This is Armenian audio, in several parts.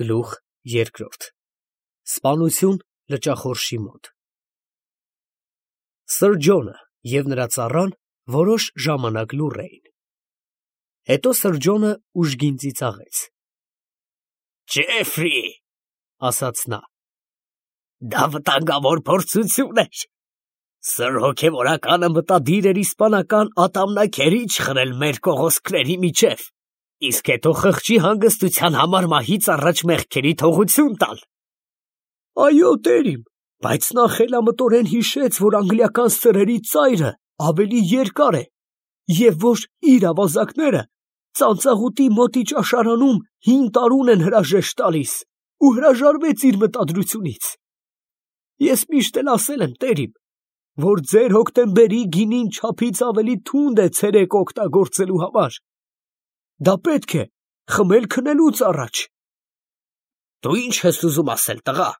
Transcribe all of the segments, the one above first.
Գլուխ երկրորդ Սպանություն լճախորշի մոտ Սըր Ջոնը և նրա ծառան որոշ ժամանակ լուռ էին։ Հետո Սըր Ջոնը ուժգին ծիծաղեց. «Ջեֆրի, ֊ ասաց նա, ֊ դա վտանգավոր փորձություն էր։ Սըր հոգևորականը մտադիր էր իսպանական ատամնաքերիչ խրել մեր կողոսկների միջև, իսկ հետո խղճի հանգստության համար մահից առաջ մեղքերի թողություն տալ։ Այո, տերիմ, բայց նա խելամտորեն հիշեց, որ անգլիական սրերի ծայրը ավելի երկար է և որ իր ավազակները ծանծաղուտի մոտի ճաշարանում 5 տարուն են հրաժեշտ տալիս ու հրաժարվեց իր մտադրությունից։ Ես միշտ էլ ասել եմ, տերիմ, որ ձեր հոկտեմբերի գինին չափից ավելի թունդ է ցերեկ օգտագործելու համար։ Դա պետք է խմել քնելուց առաջ։ Դու ի՞նչ ես ուզում ասել, տղա։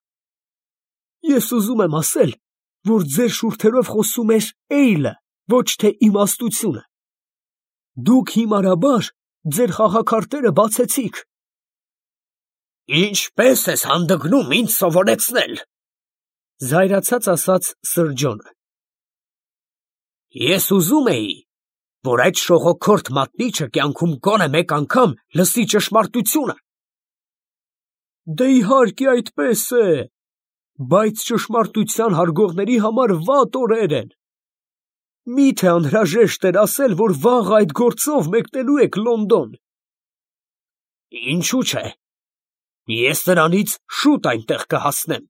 Ես ուզում եմ ասել, որ ձեր շուրթերով խոսում էր էյլը, ոչ թե իմաստությունը։ Դուք հիմարաբար ձեր խաղաքարտերը բացեցիք։ Ինչպե՞ս ես հանդգնում ինձ սովորեցնել, ֊ զայրացած ասաց Սըր Ջոնը։ Ես ուզում էի, որ այդ շողոքորթ մատնիչը կյանքում գոնե մեկ անգամ լսի ճշմարտությունը։ Դե իհարկե այդպես է, բայց ճշմարտության հարգողների համար վատ օրեր են։ Մի՞թե անհրաժեշտ էր ասել, որ վաղ այդ գործով մեկնելու եք Լոնդոն։ Ինչու՞ չէ, ես նրանից շուտ այնտեղ կհասնեմ։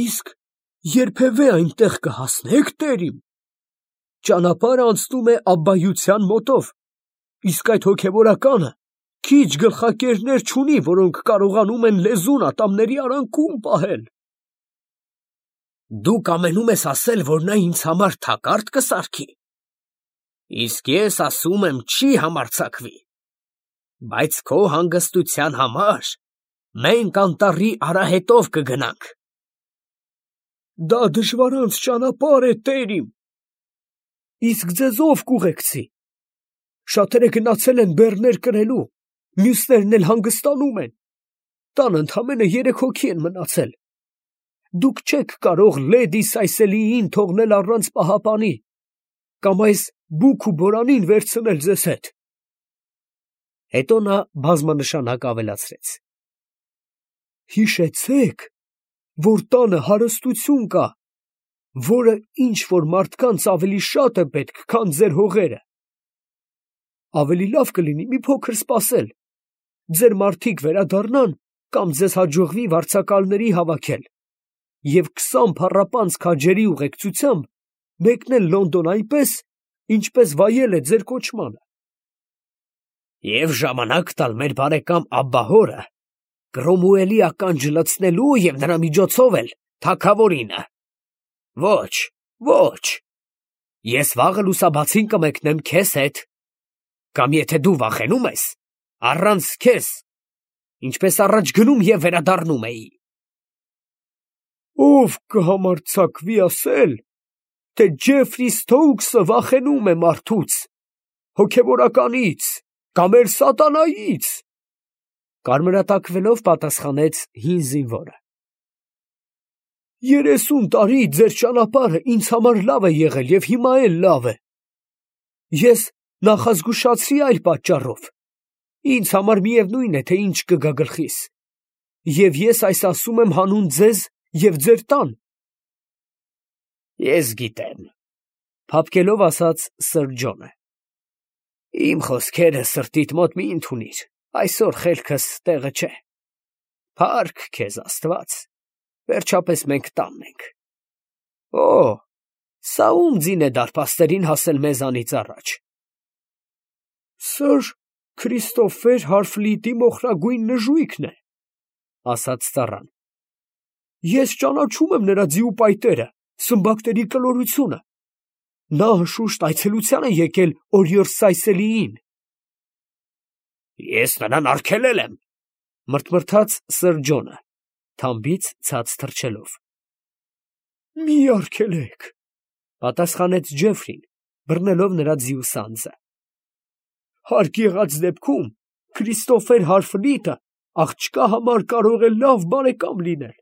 Իսկ երբևէ այնտեղ կհասնե՞ք, տերիմ։ Ճանապարհը անցնում է աբբայության մոտով, իսկ այդ հոգևորականը քիչ գլխակերներ չունի, որոնք կարողանում են լեզուն ատամների արանքում պահել։ Դու կամենում ես ասել, որ նա ինձ համար թակարդ կսարքի։ Իսկ ես ասում եմ, չի համարձակվի։ Բայց քո հանգստության համար մենք անտառի արահետով կգնանք։ Դա դժվարանց ճանապարհ է, տերիմ։ Իսկ ձեզ ով կուղեկցի։ Շատերը գնացել են բեռներ կրելու, մյուսներն էլ հանգստանում են։ Տանը ընդամենը 3 հոգի են մնացել։ Դուք չեք կարող լեդի Սայսելիին թողնել առանց պահապանի, կամ այս բուք ու բորանին վերցնել ձեզ հետ։ Հետո նա բազմանշանակ ավելացրեց. Հիշեցեք, որ տանը հարստություն կա, որը ինչ որ մարդկանց ավելի շատ է պետք, քան ձեր հողերը։ Ավելի լավ կլինի մի փոքր սպասել, ձեր մարդիկ վերադառնան, կամ ձեզ հաջողվի վարձակալների հավաքել և 20 փառապանծ քաջերի ուղեկցությամբ մեկնել Լոնդոն այնպես, ինչպես վայել է ձեր կոչմանը։ Եվ ժամանակ տալ մեր բարեկամ Աբբահորը Կրոմուելի ականջը լցնելու և նրա միջոցով էլ թագավորինը։ Ոչ, ոչ, ես վաղը լուսաբացին կմեկնեմ քեզ հետ, կամ եթե դու վախենում ես, առանց քեզ, ինչպես առաջ գնում և վերադառնում էի։ Ով կհամարձակվի ասել, թե Ջեֆրի Սթոուքսը վախենում է մարդուց, հոգևորականից, կամ էլ սատանայից, կարմրատակվելով պատասխանեց հին զինվորը։ 30 տարի ձեր ճանապարհը ինձ համար լավ է եղել և հիմա էլ լավ է։ Ես նախազգուշացրի այլ պատճառով։ Ինձ համար միևնույն է, թե ինչ կգա գլխիս։ Եվ ես այս ասում եմ հանուն ձեզ և ձեր տան։ Ես գիտեմ, ֊ փափկելով ասաց Սըր Ջոնը։ Իմ խոսքերը սրտիդ մոտ մի ընդունիր, այսօր խելքս տեղը չէ։ Փառք քեզ Աստված, վերջապես մենք տանն ենք։ Օ, սա ո՞ւմ ձին է դարպաստերին հասել մեզանից առաջ։ Սըր Քրիստոֆեր Հարֆլիտի մոխրագույն նժույգն է, ֊ ասաց ծառան։ Ես ճանաչում եմ նրա ձիու պայտերը, սմբակների կլորությունը։ Նա անշուշտ այցելության է եկել օրիորդ Սայսելիին։ Ես նրան արգելել եմ, ֊ մրթմրթաց Սըր Ջոնը, թամբից ցած թռչելով։ Մի արգելեք, ֊ պատասխանեց Ջեֆրին, բռնելով նրա ձիու սանձը։ Հարկ եղած դեպքում Քրիստոֆեր Հարֆլիտը աղջկա համար կարող է լավ բարեկամ լինել,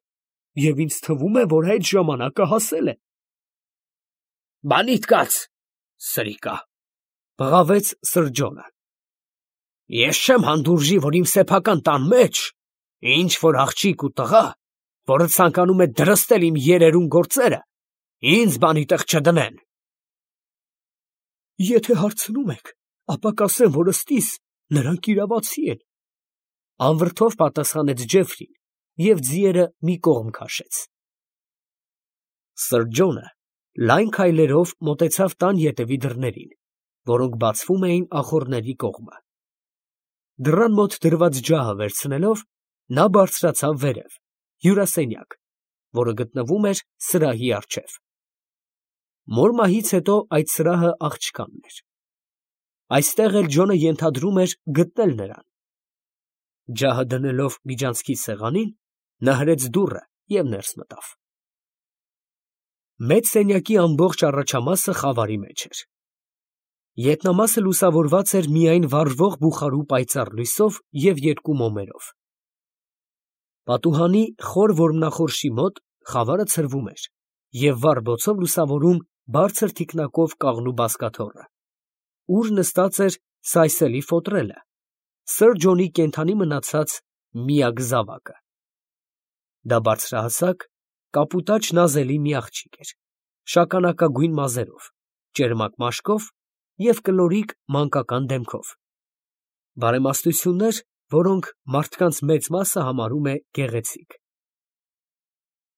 և ինձ թվում է, որ այդ ժամանակը հասել է։ Բանիդ կաց, սրիկա, բղավեց Սր Ջոնը։ Ես չեմ հանդուրժի, որ իմ սեփական տան մեջ ինչ որ աղջիկ ու տղա, որը ցանկանում է դրստել իմ երերուն գործերը, ինձ բանի տեղ չդնեն։ Եթե հարցնում եք, ապա կասեմ, որ ըստիս նրանք իրավացի են, անվրդով պատասխանեց Ջեֆրին և ձիերը մի կողմ քաշեց։ Սր Ջոնը լայն քայլերով մոտեցավ տան ետևի դռներին, որոնք բացվում էին ախոռների կողմը։ Դռան մոտ դրված ջահը վերցնելով, նա բարձրացավ վերև, հյուրասենյակ, որը գտնվում էր սրահի առջև։ Մոր մահից հետո այդ սրահը աղջկանն էր։ Այստեղ էլ Ջոնը ենթադրում էր գտնել նրան։ Ջահը դնելով միջանցքի սեղանին, նա հրեց դուռը և ներս մտավ։ Մեծ սենյակի ամբողջ առաջամասը խավարի մեջ էր։ Ետնամասը լուսավորված էր միայն վառվող բուխարու պայծառ լույսով և երկու մոմերով։ Պատուհանի խոր որմնախորշի մոտ խավարը ցրվում էր և վառ բոցով լուսավորում բարձր թիկնակով կաղնու բազկաթոռը, ուր նստած էր Սայսելի ֆոտրելը, Սր Ջոնի կենդանի մնացած միակ զավակը։ Դա բարձրահասակ, կապուտաչ նազելի մի աղջիկ էր, շագանակագույն մազերով, ճերմակ մաշկով և կլորիկ մանկական դեմքով։ Բարեմաստություններ, որոնք մարդկանց մեծ մասը համարում է գեղեցիկ։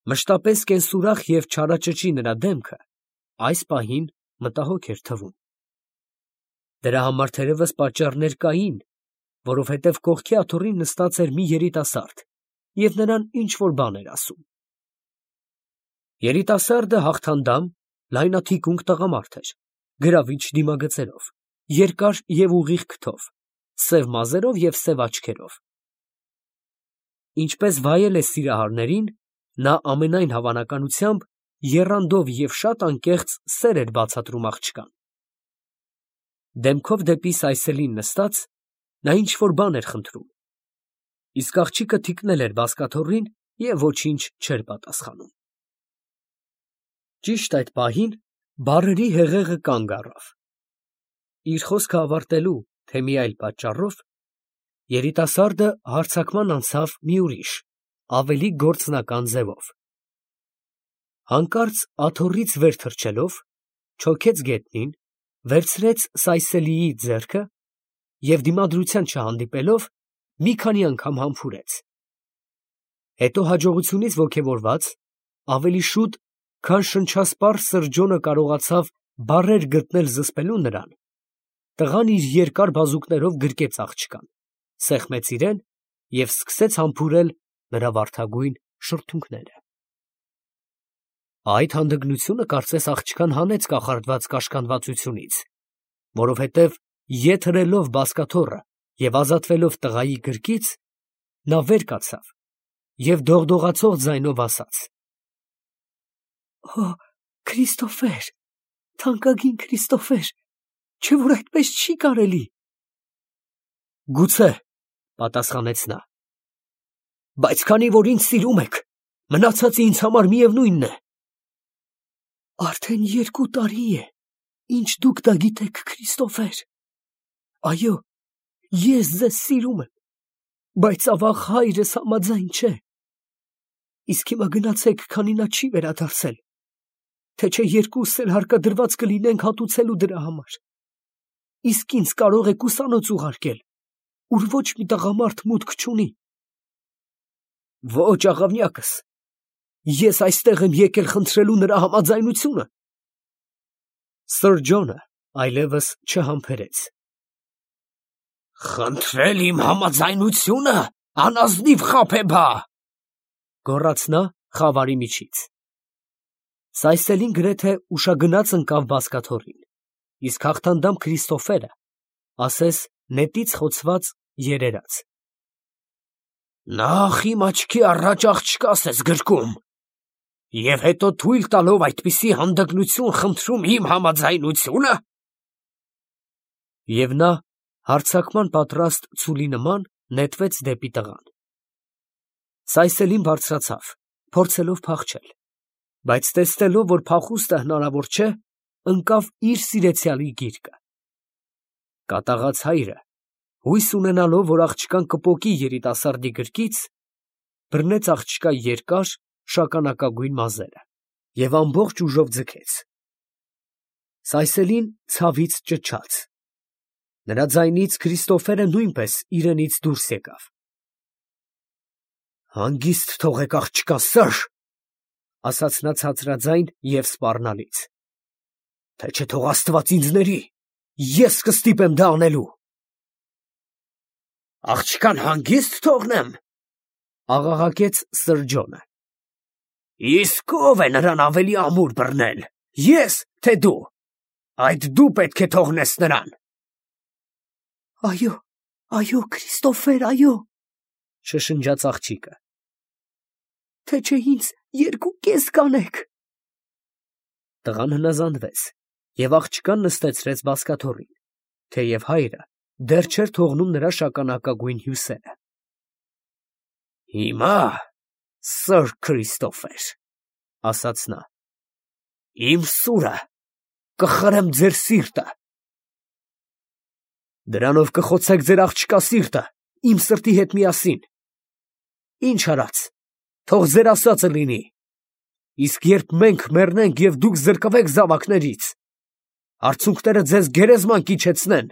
Մշտապես կենսուրախ և չարաճճի նրա դեմքը այս պահին մտահոգ էր թվում։ Դրա համար թերևս պատճառներ կային, որովհետև կողքի աթոռին նստած էր մի երիտասարդ և նրան ինչ֊որ բան էր ասում։ Երիտասարդը հաղթանդամ, լայնաթիկունք տղամարդ էր, գրավիչ դիմագծերով, երկար և ուղիղ քթով, սև մազերով և սև աչքերով։ Ինչպես վայել է սիրահարներին, նա ամենայն հավանականությամբ եռանդով և շատ անկեղծ սեր էր բացատրում աղջկան։ Դեմքով դեպի Սայսելին նստած, նա ինչ֊որ բան էր խնդրում, իսկ աղջիկը թիկնել էր բազկաթոռին և ոչինչ չէր պատասխանում։ Ճիշտ այդ պահին բառերի հեղեղը կանգ առավ։ Իր խոսքը ավարտելու, թե մի այլ պատճառով, երիտասարդը հարձակման անցավ մի ուրիշ, ավելի գործնական ձևով։ Հանկարծ աթոռից վեր թռչելով, չոքեց գետնին, վերցրեց Սայսելիի ձեռքը և դիմադրության չհանդիպելով, մի քանի անգամ համբուրեց։ Հետո հաջողությունից ոգևորված, ավելի շուտ, քան շնչասպառ Սր Ջոնը կարողացավ բառեր գտնել զսպելու նրան, տղան իր երկար բազուկներով գրկեց աղջկան, սեղմեց իրեն և սկսեց համբուրել նրա վարդագույն շրթունքները։ Այդ հանդգնությունը կարծես աղջկան հանեց կախարդված կաշկանդվածությունից, որովհետև ետ հրելով բազկաթոռը և ազատվելով տղայի գրկից, նա վեր կացավ և դողդողացող ձայնով ասաց. «Օ, Քրիստոֆեր, թանկագին Քրիստոֆեր, չէ՞ որ այդպես չի կարելի»։ «Գուցե, ֊ պատասխանեց նա, ֊ բայց քանի որ ինձ սիրում եք, մնացածը ինձ համար միևնույնն է»։ Արդեն 2 տարի է, ինչ դուք դա գիտեք, Քրիստոֆեր։ Այո, ես ձեզ սիրում եմ, բայց ավաղ հայրս համաձայն չէ։ Իսկ հիմա գնացեք, քանի նա չի վերադարձել, թե չէ երկուսս էլ հարկադրված կլինենք հատուցելու դրա համար։ Իսկ ինձ կարող եք ուսանոց ուղարկել, ուր ոչ մի տղամարդ մուտք չունի։ Ոչ, աղավնյակս, ես այստեղ եմ եկել խնդրելու նրա համաձայնությունը։ Սր Ջոնը այլևս չհամբերեց։ «Խնդրել իմ համաձայնությունը, անազնիվ խաբեբա, ֊ գոռաց նա խավարի միջից։ Սայսելին գրեթե ուշագնաց ընկավ բազկաթոռին, իսկ հաղթանդամ Քրիստոֆերը ասես նետից խոցված երերաց։ Նախ իմ աչքի առաջ աղջկաս ես գրկում, և հետո թույլ տալով այդպիսի հանդգնություն խնդրում իմ համաձայնությո՞ւնը։ Եվ նա Հարձակման պատրաստ ցուլի նման նետվեց դեպի տղան։ Սայսելին բարձրացավ, փորձելով փախչել, բայց տեսնելով, որ փախուստը հնարավոր չէ, ընկավ իր սիրեցյալի գիրկը։ Կատաղած հայրը, հույս ունենալով, որ աղջկան կպոկի երիտասարդի գրկից, բռնեց աղջկա երկար, շագանակագույն մազերը և ամբողջ ուժով ձգեց։ Սայսելին ցավից ճչաց։ Նրա ձայնից Քրիստոֆերը նույնպես իրենից դուրս եկավ։ «Հանգիստ թողեք աղջկա, սըր, ֊ ասաց նա ցածրաձայն և սպառնալից, ֊ թե չէ թող Աստված ինձ ների, ես կստիպեմ դա անելու»։ «Աղջկան հանգիստ թողնեմ, ֊ աղաղակեց սրջոնը, ֊ իսկ ո՞վ է նրան ավելի ամուր բռնել, ես, թե դու, այդ դու պետք է թողնես նրան»։ «Այո, Քրիստոֆեր, այո, ֊ շշնջաց աղջիկը, ֊ թե չէ ինձ 2.5 կանեք»։ Տղան հնազանդվեց և աղջկան նստեցրեց բազկաթոռին, թեև հայրը դեռ չէր թողնում նրա շագանակագույն հյուսերը։ «Հիմա, սըր Քրիստոֆեր, ֊ ասաց նա, ֊ իմ սուրը կխրեմ ձեր սիրտը»։ «Դրանով կխոցեք ձեր աղջկա սիրտը իմ սրտի հետ միասին։ Ինչ արած, թող ձեր ասածը լինի, իսկ երբ մենք մեռնենք և դուք զրկվեք զավակներից, արցունքները ձեզ գերեզման կիջեցնեն»։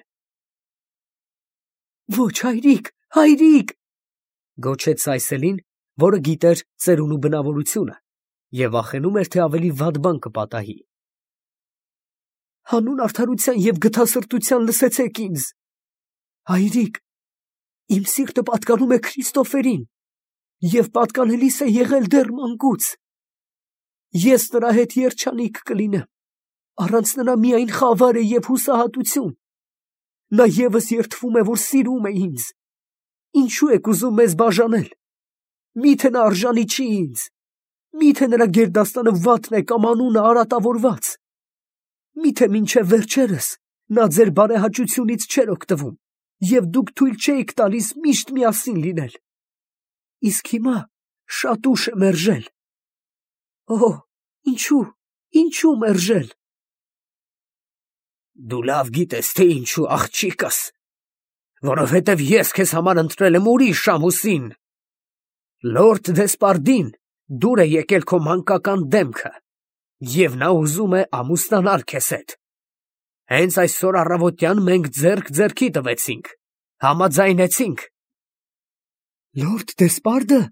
«Ոչ, հայրիկ, հայրիկ, ֊ գոչեց Սայսելին, որը գիտեր ծերունու բնավորությունը և վախենում էր, թե ավելի վատ բան կպատահի։ ֊ Հանուն արդարության և գթասրտության լսեցեք ինձ։ Հայրիկ, իմ սիրտը պատկանում է Քրիստոֆերին և պատկանելիս է եղել դեռ մանկուց։ Ես նրա հետ երջանիկ կլինեմ, առանց նրա միայն խավար է և հուսահատություն։ Նա ևս երդվում է, որ սիրում է ինձ։ Ինչու եք ուզում մեզ բաժանել։ Մի՞թե նա արժանի չի ինձ։ Մի՞թե նրա գերդաստանը վատն է կամ անունը արատավորված։ Մի՞թե մինչև վերջերս նա ձեր բարեհաճությունից չէր օգտվում, և դուք թույլ չէիք տալիս միշտ միասին լինել։ Իսկ հիմա շատ ուշ է մերժել։ Օհ, ինչու մերժել։ Դու լավ գիտես, թե ինչու, աղջիկս, որովհետև ես քեզ համար ընտրել եմ ուրիշ ամուսին։ Լորդ Դեսպարդին դուր է եկել քո մանկական դեմքը, և նա ուզում է ամուսնանալ քեզ հետ։ Հենց այսօր առավոտյան մենք ձեռք ձեռքի տվեցինք, համաձայնեցինք։ Լորդ Դեսպարդը, ֊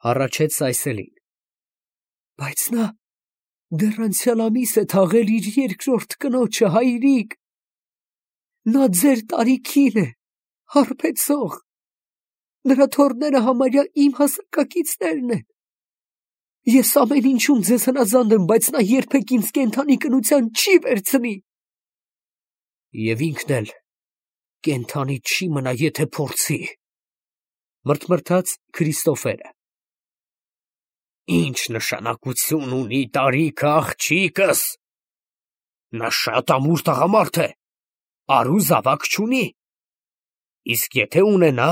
հառաչեց Սայսելին, ֊ բայց նա դեռ անցյալ ամիս է թաղել իր երկրորդ կնոջը, հայրիկ։ Նա ձեր տարիքին է, հարբեցող։ Նրա թոռները համարյա իմ հասակակիցներն են։ Ես ամեն ինչում ձեզ հնազանդ եմ, բայց նա երբեք ինձ կենդանի կնության չի վերցնի։ Եվ ինքն էլ կենդանի չի մնա, եթե փորձի, ֊ մրթմրթաց Քրիստոֆերը։ Ինչ նշանակություն ունի տարիքը, աղջիկս։ Նա շատ ամուր տղամարդ է, առու զավակ չունի։ Իսկ եթե ունենա,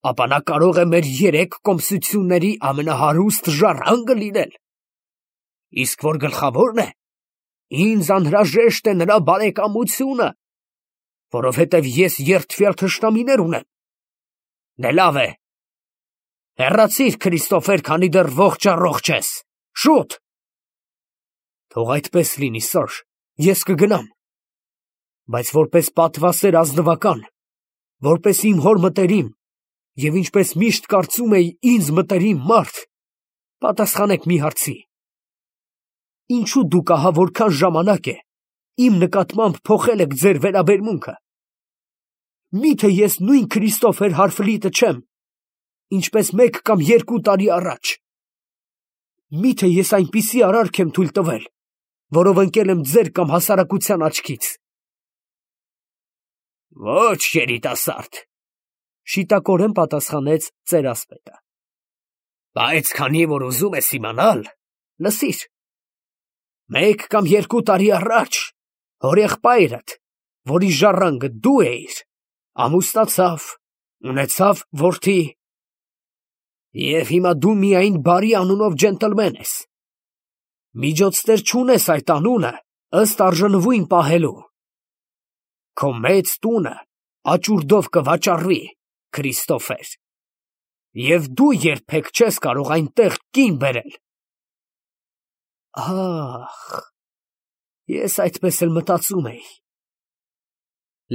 ապա նա կարող է մեր 3 կոմսությունների ամենահարուստ ժառանգը լինել։ Իսկ որ գլխավորն է, ինձ անհրաժեշտ է նրա բարեկամությունը, որովհետև ես երդվյալ թշնամիներ ունեմ։ Դե լավ է, հեռացիր, Քրիստոֆեր, քանի դեռ ողջ ես, շուտ։ Թող այդպես լինի, սըր, ես կգնամ, բայց որպես պատվասեր ազնվական, որպես իմ հոր մտերիմ և ինչպես միշտ կարծում էի ինձ մտերիմ մարդ, պատասխանեք մի հարցի. ինչու դուք ահա որքան ժամանակ է իմ նկատմամբ փոխել եք ձեր վերաբերմունքը։ Միթե ես նույն Քրիստոֆեր Հարֆլիտը չեմ, ինչպես 1 կամ 2 տարի առաջ։ Միթե ես այնպիսի արարք եմ թույլ տվել, որով ընկել եմ ձեր կամ հասարակության աչքից։ Ոչ, երիտասարդ, ֊ շիտակորեն պատասխանեց ծերասպետը։ Բայց քանի որ ուզում ես իմանալ, լսիր։ 1 կամ 2 տարի առաջ հորեղբայրդ, որի ժառանգը դու էիր, ամուսնացավ, ունեցավ որդի, և հիմա դու միայն բարի անունով ջենտլմեն ես, միջոցներ չունես այդ անունը ըստ արժանվույն պահելու, քո մեծ տունը աճուրդով կվաճառվի, Քրիստոֆեր, և դու երբեք չես կարող այնտեղ կին բերել։ Ահ, ես այդպես էլ մտածում էի։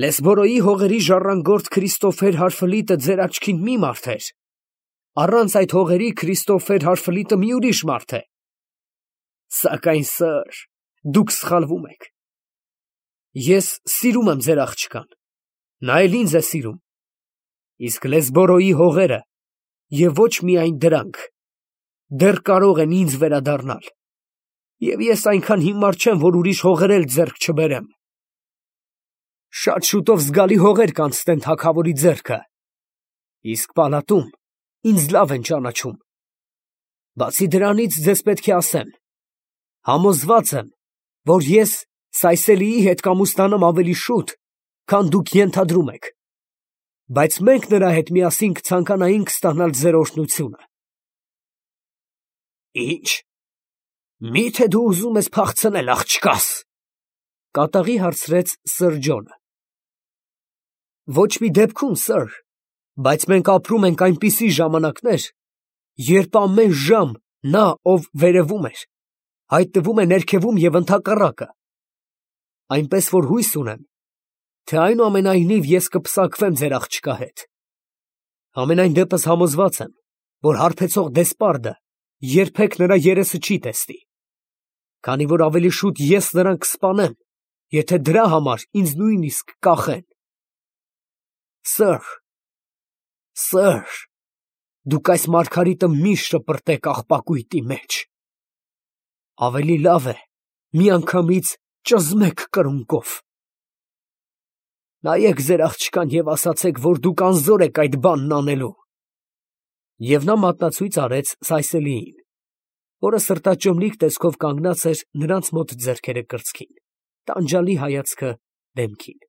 Լեսբորոյի հողերի ժառանգորդ Քրիստոֆեր Հարֆլիտը ձեր աչքին մի մարդ էր, առանց այդ հողերի Քրիստոֆեր Հարֆլիտը մի ուրիշ մարդ է։ Սակայն, սըր, դուք սխալվում եք։ Ես սիրում եմ ձեր աղջկան, նա էլ ինձ է սիրում, իսկ Լեսբորոյի հողերը, և ոչ միայն դրանք, դեռ կարող են ինձ վերադառնալ, և ես այնքան հիմար չեմ, որ ուրիշ հողեր էլ ձեռք չբերեմ։ Շատ շուտով զգալի հողեր կանցնեն թագավորի ձեռքը, իսկ պալատում ինձ լավ են ճանաչում։ Բացի դրանից ձեզ պետք է ասեմ, համոզված եմ, որ ես Սայսելիի հետ կամուսնանամ ավելի շուտ, քան դուք ենթադրում եք, բայց մենք նրա հետ միասին կցանկանայինք ստանալ ձեր օրհնությունը։ Ի՞նչ, միթե դու ուզում ես փախցնել, աղջկաս, կատաղի հարցրեց սըր Ջոնը։ Ոչ մի դեպքում, սըր, բայց մենք ապրում ենք այնպիսի ժամանակներ, երբ ամեն ժամ նա, ով վերևում էր, հայտնվում է ներքևում և ընդհակառակը, այնպես որ հույս ունեմ, թե այնուամենայնիվ ես կպսակվեմ ձեր աղջկա հետ։ Համենայն դեպս համոզված եմ, որ հարբեցող դեսպարդը երբեք նրա երեսը չի տեսնի, քանի որ ավելի շուտ ես նրան կսպանեմ, եթե դրա համար ինձ նույնիսկ կախեն։ Սըր, դուք այս մարգարիտը միշտ շպրտեք աղբակույտի մեջ։ Ավելի լավ է միանգամից ճզմեք կրունկով։ Նայեք ձեր աղջկան և ասացեք, որ դուք անզոր եք այդ բանն անելու։ Եվ նա մատնացույց արեց Սայսելիին, որը սրտաճմլիկ տեսքով կանգնած էր նրանց մոտ ձեռքերը կրծքին, տանջալի հայացքը դեմքին։